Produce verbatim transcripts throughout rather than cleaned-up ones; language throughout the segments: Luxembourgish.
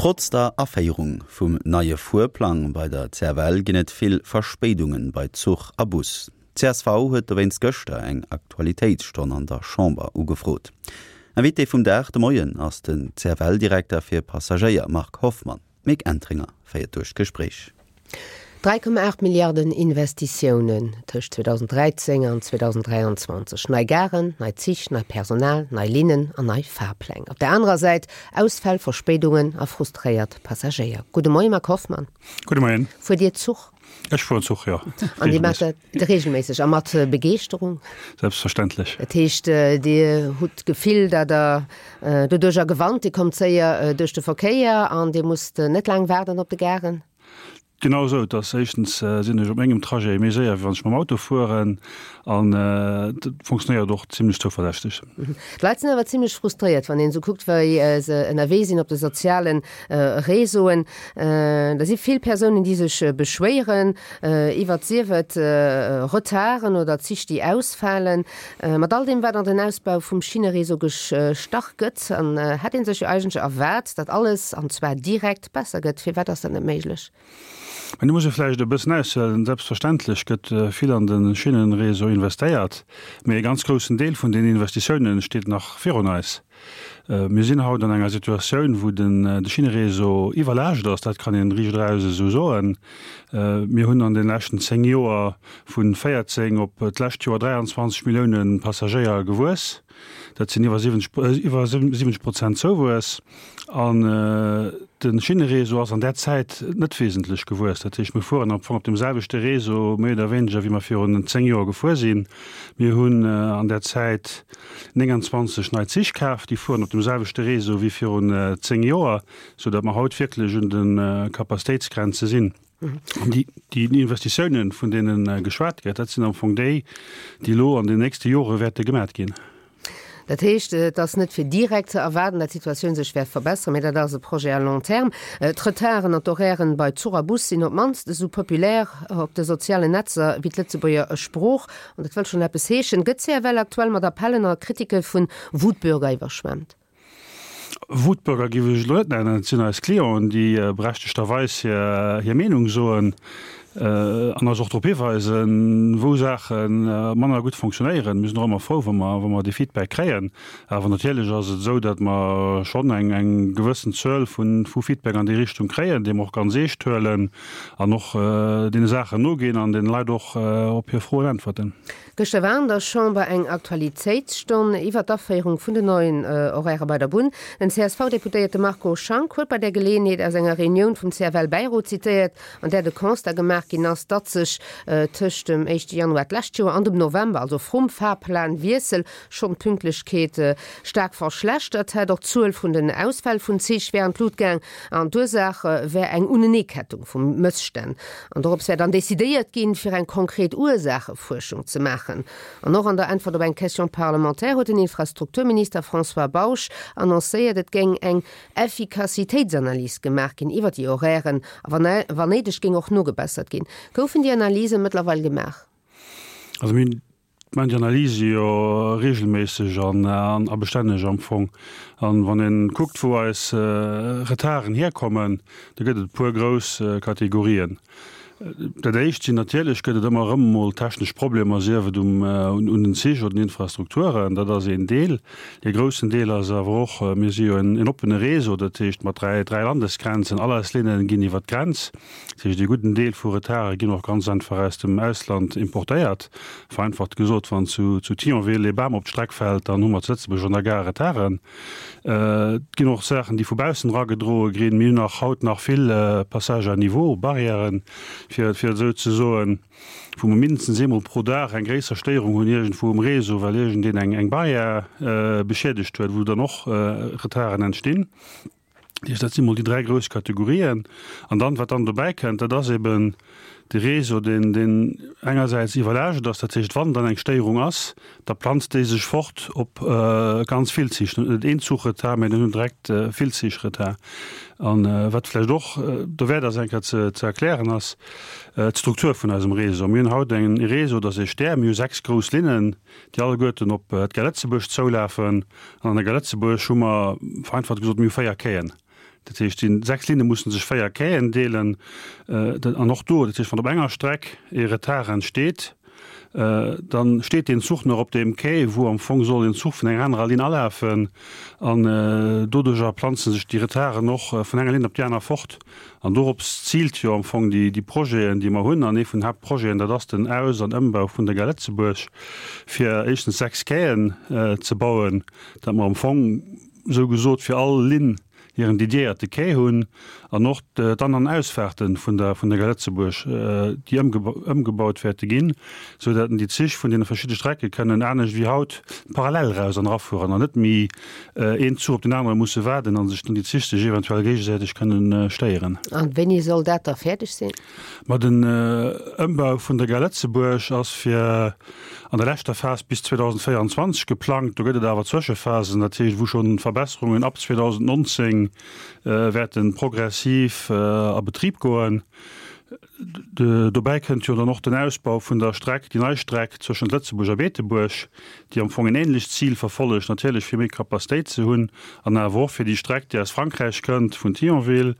Trotz der Aféierung vum neie Fuerplang bei der C F L ginn et vill Verspéidungen bei Zuch a Bus. C S V huet dowéinst gëschter eng Aktualitéitsstonn an der Chamber ugefrot. Invité vum Dag de Moien ass den C F L-Direkter fir Passagéier Marc Hoffmann. Mick Entringer féiert duerch d'Gespréich. dräi Komma aacht Milliarden Investitiounen tëscht zweedausend dräizéng an zweedausend dräianzwanzeg. Nei Garen, nei Zich, neit Personal, nei Linnen an nei Fahrpläng. Op der anerer Säit Ausfäll, Verspéidungen a frustréiert Passagéier. Gudde Moien, Marc Hoffmann. Gudde Moien. Fuert Dir Zuch? Ech fueren Zuch, jo. An Dir maacht dat reegelméisseg a mat Begeeschterung? Selbstverständlech. Dat heescht, Dir hutt d'Gefill, datt Der doduercher gewannt, Dir kommt séier duerch de Verkéier an Dir musst net laang waarden op de Garen? Genau esou. Et ass éischtens sinn ech op mengem Trajet méi séier, wéi wann ech mam Auto fueren, an et funktionéiert och zimlech zouverlässeg. D'Leit sinn awer zimlech frustréiert, wann een esou kuckt, wéi se ënnerwee sinn op de soziale Réseauen. Da si vill Persounen, déi sech beschwéieren iwwert, sief et Retarden oder Zich, déi ausfalen. Mat all deem, wat an den Ausbau vum Schinneréseau gestach gëtt, an hätt ee sech jo eigentlech erwaart, datt alles, an zwar direkt, besser gëtt. Firwat ass dat net méiglech? Mä do muss ee vläicht e bëssen aushuelen. Selbstverständlech gëtt vill an de Schinnenréseau investéiert, mee e ganz groussen Deel vun den Investitiounen steet nach virun eis. Mir sinn haut an enger Situatioun, wou de Schinneréseau iwwerlaascht ass, dat kann een riicht eraus esou soen. Mir hunn an de leschten zéng Joer vu véierzéng op d'lescht Joer dräianzwanzeg Millioune Passagéier gewuess. Dat sinn iwwer iwwer siwwenzeg Prozent Zouwuess. An de Schinneréseau ass an där Zäit net wesentlech gewuess. Dat heescht, mir fueren am Fong op deem selwechte Réseau méi oder wéineger, wéi mer virun zéng Joer gefuer sinn. Mir hunn an där Zäit nénganzwanzeg nei Zich kaf, déi fueren op deem selwechte Réseau wéi virun zéng Joer, soudatt mer haut wierklech un de Capacitéitsgrenze sinn. An déi, déi Investitiounen, vun deene geschwat gëtt, dat sinn am Fong déi, déi elo an den nächste Jore wäerte gemat ginn. Dat heescht, et ass net fir direkt ze erwaarden, datt d'Situatioun sech wäert verbesseren, mee dat ass e Projet à long terme. D'Retarden an d'Horairen bei Zuch a Bus sinn op d'mannst esou populär op de sozialen Netzer wéi d'Lëtzebuerger Sprooch. An dat wëll schonn eppes heeschen. Gëtt d'C F L aktuell mat Appellen a Kritike vu Wutbürger iwwerschwemmt? Wutbürger géif ech elo net nennen. Et sinn eis Clienten, déi berechtegterweis hir, hir Meenung soen an eis och drop hiweisen, wou Saache manner gutt funktionéieren. Mir sinn och ëmmer frou, wa mer, wa mer dee Feedback kréien. Awer natierlech ass et esou, datt mer schonn eng, eng gewëssen Zuel vun, vu Feedback an déi Richtung kréien, déi mer och ganz eescht huelen an och deene Saachen noginn an den Leit och op hir Froen äntwerten. Gëschter war an der Chamber eng Aktualitéitsstonn iwwer d'Aféierung vun den neien Horairë bei der Bunn. Den C S V-Deputéierte Marco Schank huet bei där Geleeënheet aus enger Reunioun vum C F L-Bäirot zitéiert, an där de Constat gemaach ginn ass, datt sech tëscht dem éischte Januar d'lescht Joer an dem November, also vrum Fahrplanwiessel, schonn d'Pünktlechkeet staark verschlechtert hätt. Och d'Zuel vun den Ausfäll vun Zich wär an d'Lut gaang an d'Ursaach wär eng Uneneekettung vu Mësstänn. An dorops wär dann decidéiert ginn, fir eng konkret Ursaachefuerschung ze maachen. An och an der Äntwert op eng Question parlementaire huet den Infrastrukturminister François Bausch annoncéiert, et géing eng Effikassitéitsanalys gemaach ginn iwwer déi Horairen a wann néideg géing och nogebessert ginn. Goufen déi Analyse mëttlerweil gemaach? Also mir maachen déi Analyse jo reegelméisseg an a bestänneg am Fong. An wann ee kuckt, wou eis Retarden hierkommen, da gëtt et e puer grouss Kategorien. Dat éischt sinn natierlech, gëtt et ëmmer erëm emol technesch Problemer, sief et um un den Zich oder den Infrastrukturen, dat ass een Deel. Dee groussen Deel ass awer och, mir si jo en oppene Réseau, dat heescht mat dräi dräi Landesgrenzen, all eis Linne ginn iwwer d'Grenz. Dat heescht, ee gudden Deel vu Retarde ginn och ganz einfach aus dem Ausland importéiert. Vereinfacht gesot, wann zu zu Thionville ee Bam op d'Streck fält, dann hu mer zu Lëtzebuerg an der Gare Retarden. Et ginn och Saachen, déi vu baussen eragedroe ginn. Mir hunn nach haut nach vill Passages à niveau, Barrièren, fir fir et esou ze soen, wou mer mindestens eemol pro Dag eng gréisser Stéierung hunn iergendwou um Réseau, well iergendeen eng eng Barrière beschiedegt huet, wou dann och Retarden entstinn. Dat heescht, dat si mol déi dräi grouss Kategorien. An dann, wat dann dobäi kënnt, dat ass eben de Réseau, deen, deen engersäits iwwerlaascht ass. Dat heescht, wann dann eng Stéierung ass, da planzt déi sech fort op ganz vill Zich. Dann huet net een Zuch Retard, mä dann hunn direkt vill Zich Retard. An wat vläicht och dowäert ass, eng Kéier ze, ze erklären, ass d'Struktur vun eisem Réseau. Mir hunn haut en Réseau, dat ass ee Stär. Mir hu sechs grouss Linnen, déi alleguerten op d'Gare Lëtzebuerg zoulafen. An an der Gare Lëtzebuerg hu mer, vereinfacht gesot, mir hu véier Quaien. Dat heescht, déi sechs Linne mussen sech véier Quaien deelen. An och do, dat heescht, wann op enger Streck ee Retard entsteet, dann steet deen Zuch nach op deem Quai, wou am Fong soll en Zuch vun enger anerer Linn alafen. An doduerjer planze sech déi Retarden och vun enger Linn op déi aner fort. An dorops ziilt jo am Fong déi, déi Projeten, déi mer hunn. An ee vun den Haaptprojeten, dat ass den Aus an Ëmbau vun der Gare Lëtzebuerg, fir éischtens sechs Quaien ze bauen, datt mer am Fong esou gesot fir all Linn hiren dediéierte Quai hunn an och d'An an Ausfahrte vun der vun der Gare Lëtzebuerg, déi ëmgebaut wäerte ginn, sou datt déi Zich vun deene verschidde Strecke kënnen anescht wéi haut parallel eraus an erafueren an net méi een Zuch op deen anere musse waarden a sech dann déi Zich sech eventuell géigesäiteg kënnen stéieren. A wéini soll dat da fäerdeg sinn? Ma den Ëmbau vun der Gare Lëtzebuerg ass fir an der leschter Phas bis zweedausendvéierundzwanzeg geplangt. Do gëtt et awer Zwëschephasen, dat heescht, wou schonn Verbesserungen ab zweedausendnonzéng wäerte progressiv a Betrib goen. Dobäi kënnt jo dann och den Ausbau vun der Streck, déi nei Streck zwëschent Lëtzebuerg a Beetebuerg, déi am Fong en ähnlecht Zil verfollegt, natierlech fir méi Capacitéit ze hunn an awer och fir déi Streck, déi aus Frankräich kënnt, vun Thionville,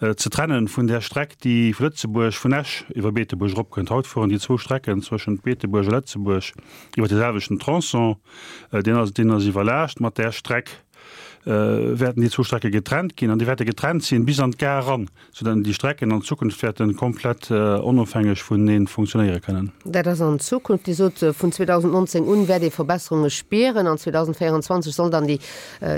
ze trennen vun där Streck, déi vu Lëtzebuerg, vun Esch iwwer Beetebuerg eropkënnt. Haut fueren déi zwou Strecken zwëschent Beetebuerg a Lëtzebuerg iwwer dee selwechten Tronçon. Deen ass, deen ass iwwerlaascht. Mat där Streck wäerten déi zwou Strecke getrennt ginn an déi wäerte getrennt sinn bis an d'Gare eran, soudatt déi Strecken an Zukunft wäerte komplett onofhängeg vunenee funktionéiere kënnen. Dat ass an Zukunft. Dir sot, vun zweedausendnonzéng un wäert ee Verbesserunge spieren. An zweedausendvéierundzwanzeg soll dann déi,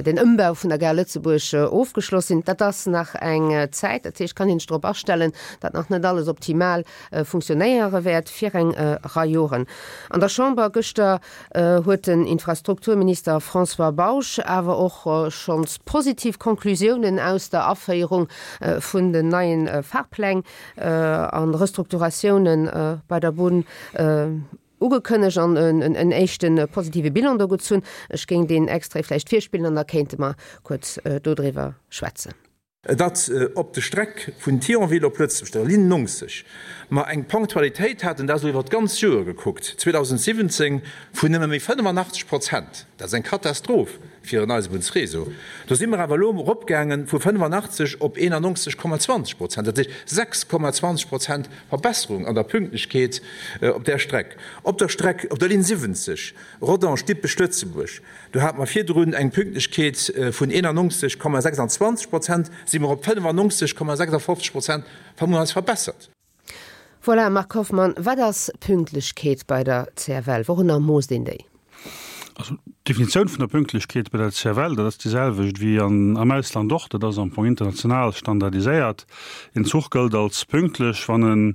den Ëmbau vun der Gare Lëtzebuerg ofgeschloss sinn. Dat ass nach eng Zäit. Dat heescht, kann een sech drop astellen, datt nach net alles optimal funktionéiere wäert fir eng Rei Joren. An der Chamber gëschter huet den Infrastrukturminister François Bausch awer och schonns positiv Conclusiounen aus der Aféierung vun den neien Fahrpläng an Restrukturatiounen bei der Bunn ugekënnegt an en éischte positive Bilan do gezunn. Ech géing deen Extrait vläicht virspillen an da kéinte mer kuerz dodriwwer schwätzen. Datt op der Streck vun Thionville op Lëtzebuerg, der Linn neunzeg, mer eng Ponctualitéit haten, dat ass elo iwwer d'ganz Joer gekuckt, zweedausendsiwwenzéng, vun nëmme méi fënnefenachtzeg Prozent. Dat ass eng Katastroph fir en Eisebunnsréseau. Do si mer awer elo eropgaange vu fënnefenachtzeg op eenanonzeg Komma zwanzeg Prozent, dat heescht sechs Komma zwanzeg Prozent Verbesserung an der Pünktlechkeet op där Streck. Op der Streck, op der Linn siwwenzeg, Rodange-Dippech-Lëtzebuerg, do hate mer virdrun eng Pünktlechkeet vun eenanonzeg Komma sechsandzwanzeg Prozent, si mer op fënnefenonzeg Komma sechsafofzeg Prozent, hu mer eis verbessert. Voilà, Marc Hoffmann, wat ass Pünktlechkeet bei der C F L? Wourunner moosst een déi? Also d'Definitioun vun der Pünktlechkeet bei der C F L, dat ass déi selwecht wéi an, am Ausland och, dat ass am Fong international standardiséiert. En Zuch gëllt als pünktlech, wann en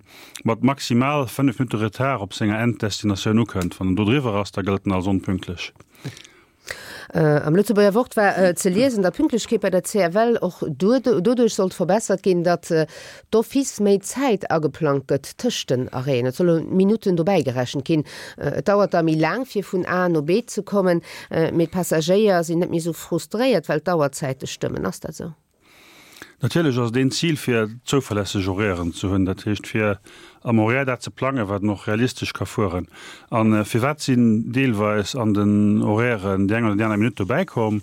mat maximal fënnef Minutte Retard op senger Enddestinatioun ukënnt. Wann en do driwwer ass, da gëllt en als onpünktlech. Am Lëtzebuerger Wort war ze liesen, datt d'Pünktlechkeet bei der C F L och doduerch sollt verbessert ginn, datt d'office méi Zäit ageplangt gëtt tëscht den Arrêten. Et solle Minutten dobäi gerechent ginn. Et dauert da méi laang, fir vun A no B ze kommen, mee d'Passagéier sinn net méi esou frustréiert, well d'Auerzäite stëmmen. Ass dat esou? Natierlech ass et een Zil fir zouverlässeg Horairen ze hunn, dat heescht fir am Horaire dat ze plangen, wat en och realistesch ka fueren. A firwat sinn deelweis an den Horairen déi eng oder déi aner Minutt dobäi komm?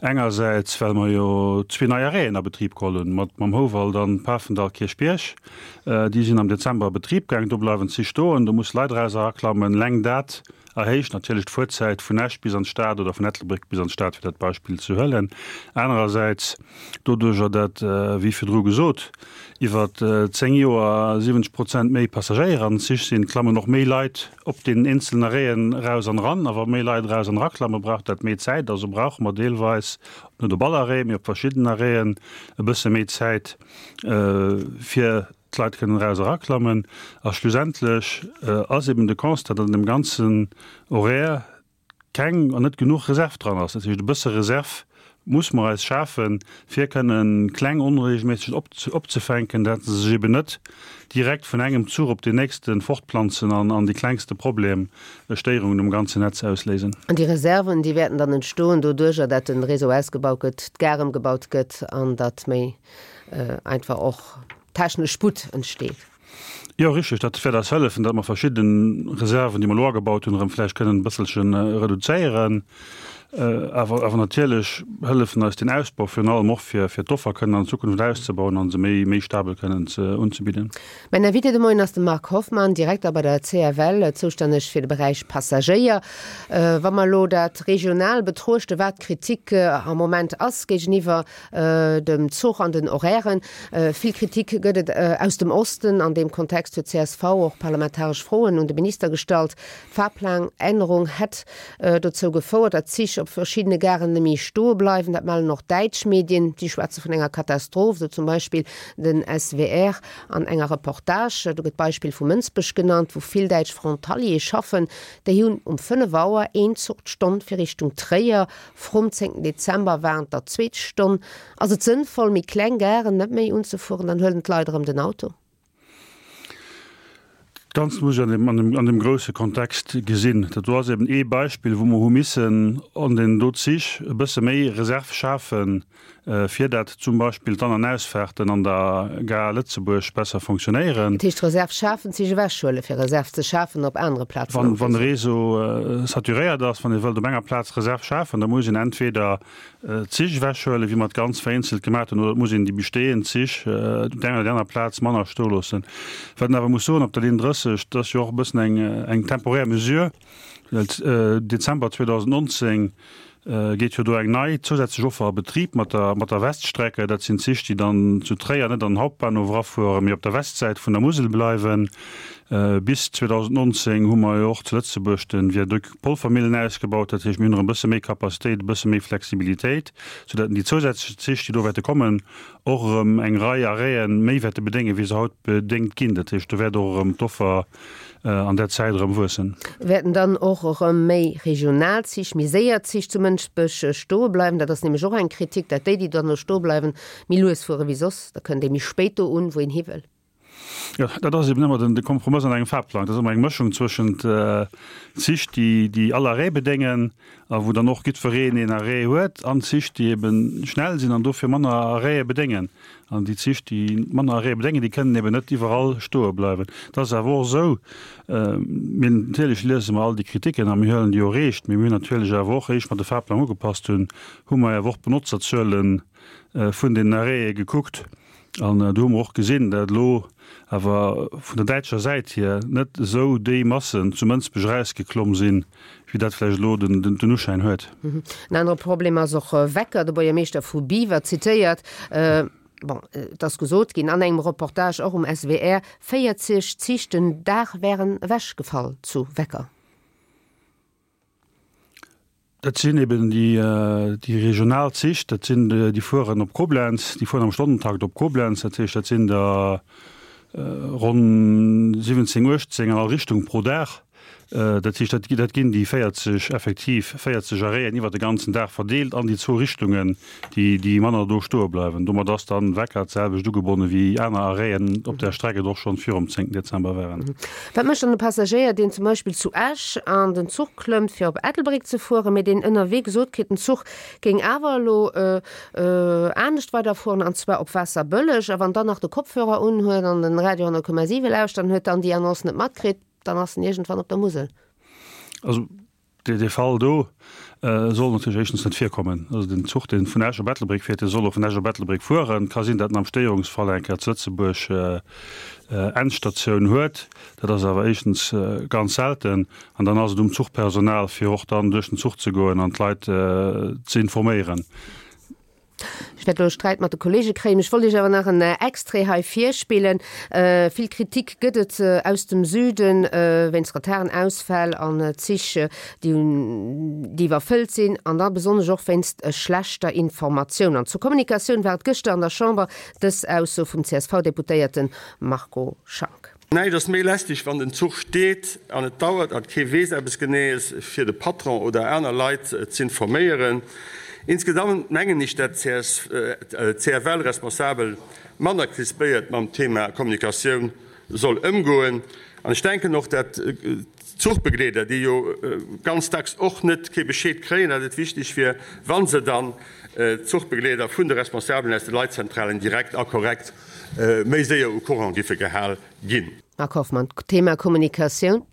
Engersäits well mer jo zwee nei Arrêten a Betrib geholl hunn, mat mam Houwald an Pafendall-Kierchbierg. Déi sinn am Dezember a Betrib gaang. Do bleiwen d'Zich stoen, do musse Leit eraus eraklammen. Eleng dat erhéicht natierlech d'Fuerzäit vun Esch bis an d'Stad oder vun Ettelbréck bis an d'Stad, fir dat Beispill ze huelen. Anerersäits, doduerjer dat, wéi virdru gesot, iwwer zéng Joer siwwenzeg Prozent méi Passagéier an den Zich sinn, klammen och méi Leit op deenen eenzelen Arrêten eraus an eran. A wa méi Leit eraus an eraklammen, brauch dat méi Zäit. Also brauche mer deelweis, net op all Arrêt, mee op verschidden Arrêten, e bësse méi Zäit, fir d'Leit kënnen eraus eraklammen. A schlussendlech ass eben de Constat, datt an dem ganzen Horaire keng an net genuch Reserv dran ass. Dat heescht, e bësse Reserv muss mer eis schafen, fir kënnen kleng Onreegelméissegkeeten opzefänken, datt se sech eben net direkt vun engem Zuch op deen nächste fortplanzen an an déi klengste Problem Stéierungen um ganzen Netz ausléisen. An déi Reserven, déi wäerten dann entstoen doduerjer, datt de Réseau ausgebaut gëtt, d'Gare ëmgebaut gëtt an datt méi einfach och technesch Sputt entsteet. Jo, richteg. Dat wäert eis hëllefen, datt mer verschidde Reserven, déi mer elo agebaut hunn, erëm vläicht kënnen e bësselche reduzéieren. Awer awer natierlech hëllefen eis den Ausbau virun allem och fir fir d'Offer kënnen an Zukunft auszebauen an se méi méi stabel kënnen ze unzebidden. Mäin Invité de Moien ass de Marc Hoffmann, Direkter bei der C F L, zoustänneg fir de Beräich Passagéier. Wa mer elo dat regional betruechten, wat d'Kritik am Moment ass géigeniwwer dem Zuch an den Horairen, vill Kritik gëtt et aus dem Osten. An deem Kontext huet C S V och parlamentaresch Froen un de Minister gestallt. D'Fahrplanännerung hätt dozou gefouert, datt Zich op verschiddene Garen net méi stoe bleiwen. Dat mellen och däitsch Medien. Déi schwätze vun enger Katastroph, sou zum Beispill den S W R an enger Reportage. Do gëtt d'Beispill vu Mënsbech genannt, wou vill däitsch Frontaliere schaffen. Déi hunn um fënnef Auer een Zuch d'Stonn fir Richtung Tréier. Vrum zéngten Dezember waren et der zwee d'Stonn. Ass et sënnvoll, méi kleng Garen net méi unzefueren? Dann huelen d'Leit erëm den Auto. Dat Ganzt muss een an dem, an dem, an dem grousse Kontext gesinn. Dat do ass eben ee Beispill, wou mer hu missen an den do Zich e bësse méi Reserve schafen, fir dat zum Beispill d'An an Ausfahrten an der Gare Lëtzebuerg besser fonctionnéieren. Dat heescht Reserve schafen, Zich ewechhuelen, fir Reserve ze schafen op anere Plazen? Wann, wann de Réseau saturéiert ass, wann ee wëllt op enger Plaz Reserve schafen, da muss een entweder Zich ewechhuelen, wéi mer et ganz vereenzelt gemaach hunn, oder et muss een déi bestehend Zich op der enger oder anerer Plaz manner stoe loossen. Wat een awer muss soen, op der Linn drësseg, dat ass jo och e bëssen eng, eng temporär Mesure, well Dezember zweedausendnonzéng geet jo do eng nei zousätzlech Offer a Betrib mat der, mat der Weststrecke. Dat sinn Zich, déi dann zu Tréier net an den Hauptbahnhof erafueren, mee op der Westsäit vun der Musel bleiwen. Bis zweedausendnonzéng hu mer jo och zu Lëtzebuerg den Viaduc Polvermillen ausgebaut. Dat heescht, mir hunn erëm e bësse méi Capacitéit, e bësse méi Flexibilitéit, soudatt déi zousätzlech Zich, déi do wäerte kommen, och erëm eng Rei Arrêten méi wäerte bedéngen, wéi se haut bedéngt ginn. Dat heescht, do wäert och erëm d'Offer an där Zäit erëm wuessen. Wäerten dann och erëm méi regional Zich, méi séier Zich zu Mënsbech stoe bleiwen? Dat ass nämlech och eng Kritik, datt déi, déi dann do stoe bleiwen, méi lues fuere wéi soss. Da kënnt ee méi spéit do un, wou een hi wëll. Jo, dat ass eben ëmmer den de Kompromëss an engem Fahrplang. Dat ass ëmmer eng Mëschung zwëschent Zich, déi déi all Arrêt bedéngen a wou dann och jiddwereen een Arrêt huet, an Zich, déi eben schnell sinn an dofir manner Arrêtë bedéngen. An déi Zich, déi manner Arrêtë bedéngen, déi kënnen eben net iwwerall stoe bleiwen. Et ass awer och esou, mir natierlech liese mer all déi Kritiken a mir huelen déi och eescht, mee mir hunn natierlech awer och, éischt mer de Fahrplang ugepasst hunn, hu mer awer och d'Benotzerzuele vun den Arrêtë gekuckt. An do hu mer och gesinn, datt elo awer vun der däitscher Säit hier net esou déi Massen zu Mënsbech erausgeklomm sinn, wéi dat vläicht elo den, den, den Uschäin huet. En anere Problem ass och Wecker, de Buergermeeschter vu Biwer zitéiert. Bon, et ass gesot ginn an engem Reportage och um S W R, véierzeg Zich den Dag wären ewechgefall zu Wecker. Dat sinn eben déi, déi regional Zich, dat sinn déi fueren op Koblenz, déi fueren am Stonnentakt op Koblenz, dat heescht dat sinn der ronn siwwenzéng, uechtzéng an all Richtung pro Dag. Dat heescht, dat, dat ginn déi véierzeg, effektiv véierzeg Arrêten iwwer de ganzen Dag verdeelt an déi zwou Richtungen, déi, déi manner do stoe bleiwen. Domat ass dann Wecker d'selwecht ugebonne wéi aner Arrêten op där Streck et och schonn virum zéngten Dezember waren. Wat mécht dann de Passagéier, deen zum Beispill zu Esch an den Zuch klëmmt, fir op Ettelbréck ze fueren, mee deen ënnerwee gesot kritt, den Zuch géing awer elo anescht weiderfueren, an zwar op Waasserbëlleg, a wann dann nach de Kopfhörer unhuet an den Radio honnert Komma siwe lauschtert, dann huet dann déi Annonce net matkritt? Dann ass en iergendwann op der Musel. Also dee, dee Fall do äh, soll natierlech éischtens net virkommen. Also den Zuch, deen vun Esch op Ettelbréck fiert, dee soll och vun Esch op Ettelbréck fueren. Ka sinn, datt en am Stéierungsfall eng Kéier zu Lëtzebuerg äh, äh, Endstatioun huet. Dat ass awer éischtens äh, ganz selten. An dann ass et um Zuchpersonal, fir och dann duerch den Zuch ze goen an d'Leit äh, ze informéieren. Ech wäert elo Sträit mat de Kollege kréien. Ech wollt Iech awer nach en Extrait hei virspillen. Vill Kritik gëtt et aus dem Süden wéinst Retarden, Ausfäll an Zich, déi déi iwwerfëllt sinn an da besonnesch och wéinst schlechter Informatioun. An zur Kommunikatioun war et gëschter an der Chamber dës Ausso vum C S V-Deputéierte Marco Schank. Näischt ass méi lästeg, wann den Zuch steet an et dauert an kee weess eppes Geneeës, fir de Patron oder aner Leit z'informéieren. Insgesamt mengen ech, dat C F L-Responsabel manner krispéiert mam Thema Kommunikatioun soll ëmgoen. An ech denken och, dat d'Zuchbegleeder, déi jo ganz dacks och net kee Bescheed kréien, dat et wichteg wier, wa se dann d'Zuchbegleeder vun de Responsabelen aus de Leitzentralen direkt a korrekt méi séier au courant giffe gehal ginn. Marc Hoffmann, Thema Kommunikatioun?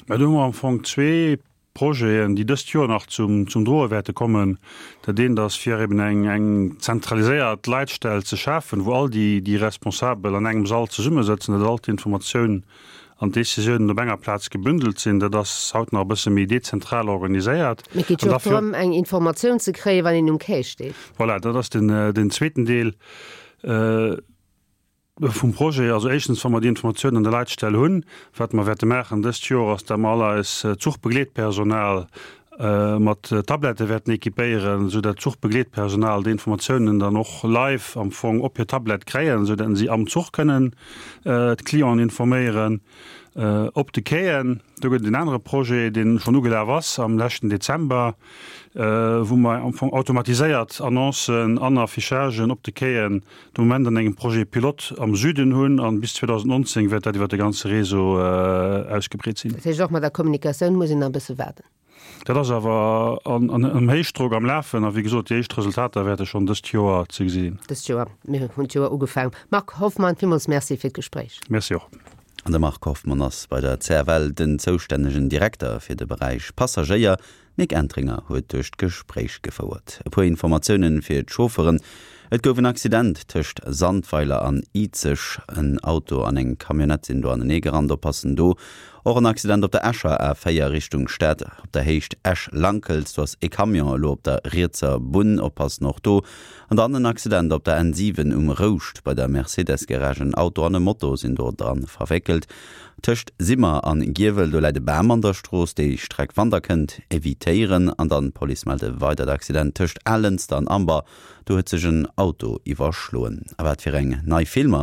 Mä do hu mer am Fong zwee Projeten, déi dëst Joer nach zum, zum Droe wäerte kommen. Dat eent ass, fir eben eng, eng zentraliséiert Leitstell ze schafen, wou all déi, déi Responsabel an engem Sall zesummesëtzen, datt all d'Informatiounen an d'Décisiounen op enger Plaz gebündelt sinn. Dat ass haut nach e bësse méi dezentral organiséiert. Mee et geet jo och drëm, eng Informatioun ze kréien, wann een um Quai steet. Voilà, dat ass den, den zweeten Deel. Vum Projet. Also éischtens, wa mer déi Informatioun an der Leitstell hunn, wat mer wäerte maachen dëst Joer, ass, datt mer all eis Zuchbegleetpersonal mat Tablette wäerten équipéieren, esou datt d'Zuchbegleetpersonal déi Informatiounen dann och live am Fong op hir Tablett kréien, esou datt si am Zuch kënnen d'Clienten informéieren. Op de Quaien, do gëtt et en anere Projet, dee schonn ugelaf ass am leschten Dezember, wou mer am Fong automatiséiert Annoncen an Affichagen op de Quaien de Moment an engem Projet pilote am Süden hunn an bis zweedausendnonzéng wäert dat iwwer de ganze Réseau ausgebreet sinn. Dat heescht, och mat der Kommunikatioun muss een nach e bësse waarden. Dat ass awer am Héichdrock am Lafen a wéi gesot, déi éischt Resultater wäerte schonn dëst Joer ze gesi sinn. Dëst Joer. Mir hunn d'Joer ugefaangen. Marc Hoffmann, villmools Merci fir d'Gespréich. Merci och. An de Marc Hoffmann ass bei der C F L den zoustännegen Direkter fir de Beräich Passagéier. D'Mick Entringer huet duerch d'Gespréich gefouert. E puer Informatioune fir d'Chaufferen, Et gouf en Accident tëscht Sandweiler an Izeg. En Auto an eng Camionnette sinn do anenee gerannt. Oppassen do. Och en Accident op der Escher A véier Richtung Stad op der Héicht Esch-Lankels. Do ass e Camion elo op der rietser Bunn. Oppassen och do. An dann en Accident op der N siwen um Rouscht bei der Mercedes-Garage. En Auto an e Moto sinn do dran verwéckelt. Tëscht Simmer an Giewel, do läit e Bam an der Strooss. Déi Streck, wann der kënnt, evitéieren. An dann d'Police mellt e weidert Accident tëscht Alënster an Amber. Do huet sech en Auto iwwerschloen. A wat fir eng nei Filmer